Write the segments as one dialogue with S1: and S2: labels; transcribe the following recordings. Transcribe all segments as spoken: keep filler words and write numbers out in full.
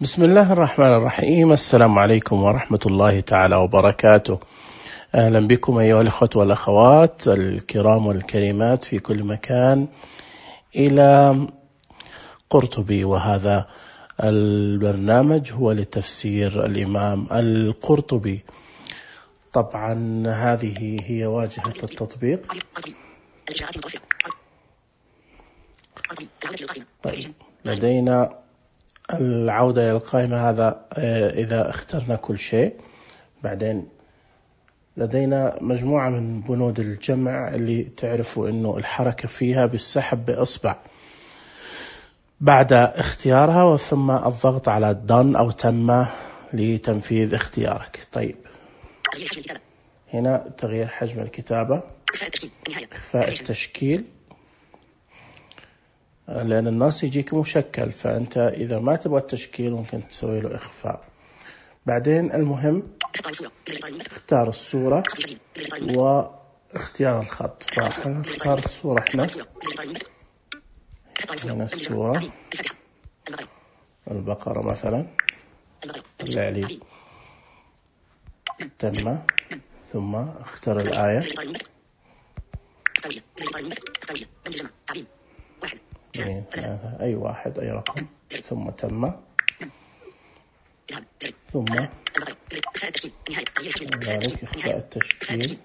S1: بسم الله الرحمن الرحيم. السلام عليكم ورحمة الله تعالى وبركاته. أهلا بكم أيها الأخوة والأخوات الكرام والكريمات في كل مكان إلى قرطبي، وهذا البرنامج هو لتفسير الإمام القرطبي. طبعا هذه هي واجهة التطبيق. طيب، لدينا العودة إلى القائمة، هذا إذا اخترنا كل شيء. بعدين لدينا مجموعة من بنود الجمع اللي تعرفوا إنه الحركة فيها بالسحب بإصبع بعد اختيارها، وثم الضغط على done أو تم لتنفيذ اختيارك. طيب، هنا تغيير حجم الكتابة، إخفاء التشكيل، لأن النص يجيك مشكل، فأنت إذا ما تبغى التشكيل ممكن تسوي له إخفاء. بعدين المهم اختار الصورة واختيار الخط، فنختار الصورة احنا هنا الصورة البقرة مثلا العلي تم، ثم اختار الآية اثنين ثلاثة أي واحد أي رقم، ثم تم، ثم ذلك إخفاء التشكيل.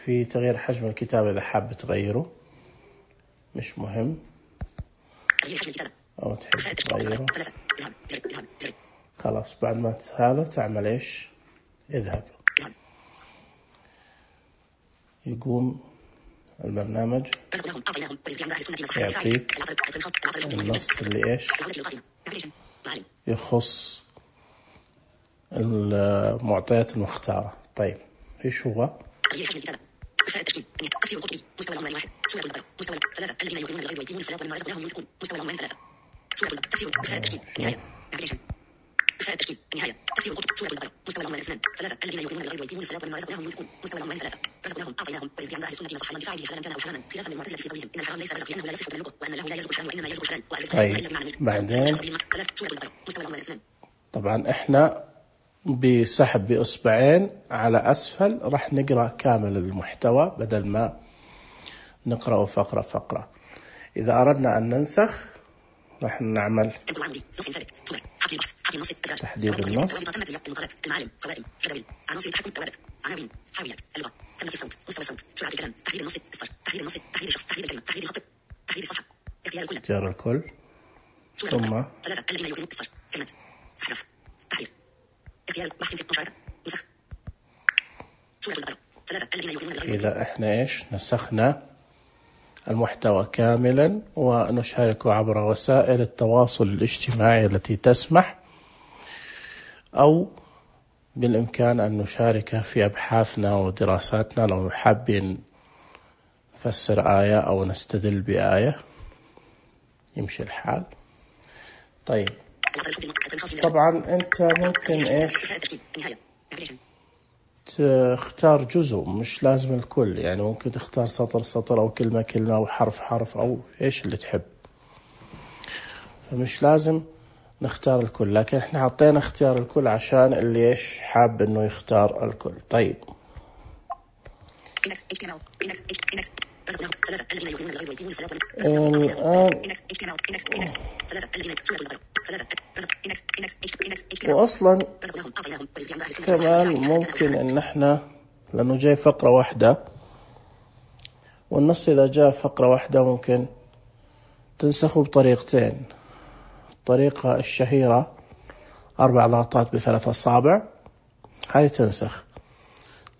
S1: في تغيير حجم الكتابة إذا حاب تغيره، مش مهم، أو تحب تغيره خلاص. بعد ما هذا تعمل إيش؟ اذهب. يقوم البرنامج يعطيك النص اللي إيش يخص المعطيات المختارة. طيب، إيش هو؟ طيب، بعدين طبعا احنا بسحب بإصبعين على أسفل راح نقرأ كامل المحتوى بدل ما نقرأه فقرة فقرة. إذا أردنا أن ننسخ راح نعمل تحديد النص، اختيار الكل، ثم إذا إحنا إيش نسخنا المحتوى كاملا ونشاركه عبر وسائل التواصل الاجتماعي التي تسمح، أو بالإمكان أن نشارك في أبحاثنا ودراساتنا لو حابين نفسر آية أو نستدل بآية، يمشي الحال. طيب، طبعا أنت ممكن إيش تختار جزء، مش لازم الكل، يعني ممكن تختار سطر سطر أو كلمة كلمة أو حرف حرف أو إيش اللي تحب، فمش لازم نختار الكل، لكن إحنا حطينا اختيار الكل عشان اللي إيش حاب إنه يختار الكل. طيب، الآن وأصلا كمان ممكن إن إحنا لأنه جاي فقرة واحدة، والنص إذا جاء فقرة واحدة ممكن تنسخه بطريقتين. الطريقة الشهيرة أربع ضغطات بثلاث أصابع، هذه تنسخ،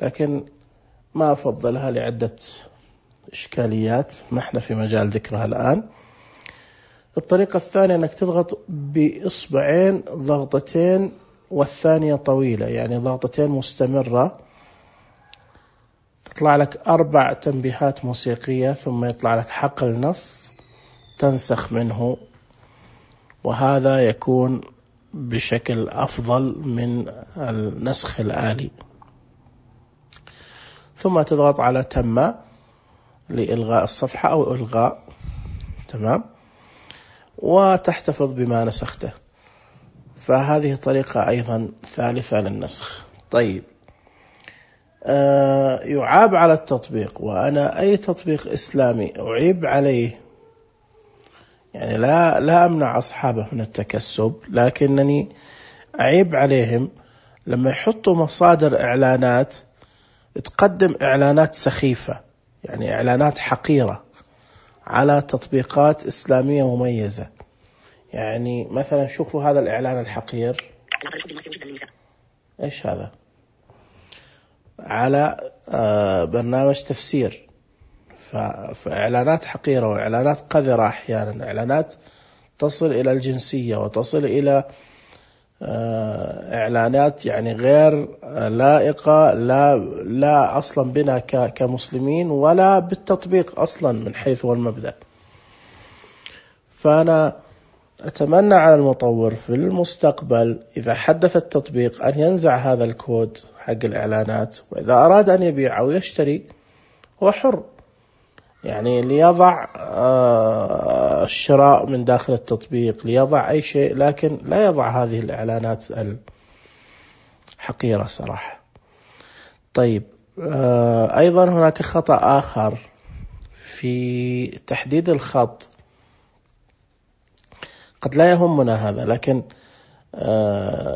S1: لكن ما أفضلها لعدة إشكاليات ما إحنا في مجال ذكرها الآن. الطريقة الثانية أنك تضغط بإصبعين ضغطتين والثانية طويلة، يعني ضغطتين مستمرة، تطلع لك أربع تنبيهات موسيقية، ثم يطلع لك حقل نص تنسخ منه، وهذا يكون بشكل أفضل من النسخ الآلي. ثم تضغط على تم لإلغاء الصفحة أو إلغاء، تمام. وتحتفظ بما نسخته. فهذه طريقة أيضا ثالثة للنسخ. طيب، آه يعاب على التطبيق، وأنا أي تطبيق إسلامي أعيب عليه، يعني لا لا أمنع أصحابه من التكسب، لكنني أعيب عليهم لما يحطوا مصادر إعلانات تقدم إعلانات سخيفة، يعني إعلانات حقيرة على تطبيقات إسلامية مميزة. يعني مثلا شوفوا هذا الإعلان الحقير، إيش هذا؟ على آه برنامج تفسير. فإعلانات حقيرة وإعلانات قذرة، أحيانا إعلانات تصل إلى الجنسية وتصل إلى إعلانات يعني غير لائقة، لا لا أصلا بنا كمسلمين ولا بالتطبيق أصلا من حيث هو المبدأ. فأنا أتمنى على المطور في المستقبل إذا حدث التطبيق أن ينزع هذا الكود حق الإعلانات، وإذا أراد أن يبيع أو يشتري هو حر، يعني ليضع الشراء من داخل التطبيق، ليضع أي شيء، لكن لا يضع هذه الإعلانات الحقيرة صراحة. طيب، أيضا هناك خطأ آخر في تحديد الخط، قد لا يهمنا هذا، لكن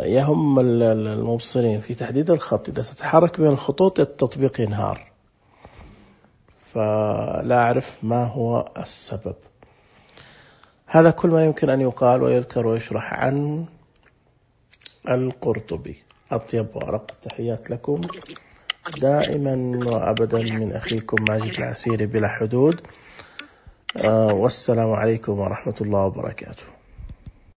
S1: يهم المبصرين في تحديد الخط. إذا تتحرك بين الخطوط التطبيق ينهار، فلا أعرف ما هو السبب. هذا كل ما يمكن أن يقال ويذكر ويشرح عن القرطبي. أطيب وأرق التحيات لكم دائما وأبدا من أخيكم ماجد العسيري بلا حدود. آه والسلام عليكم ورحمة الله وبركاته.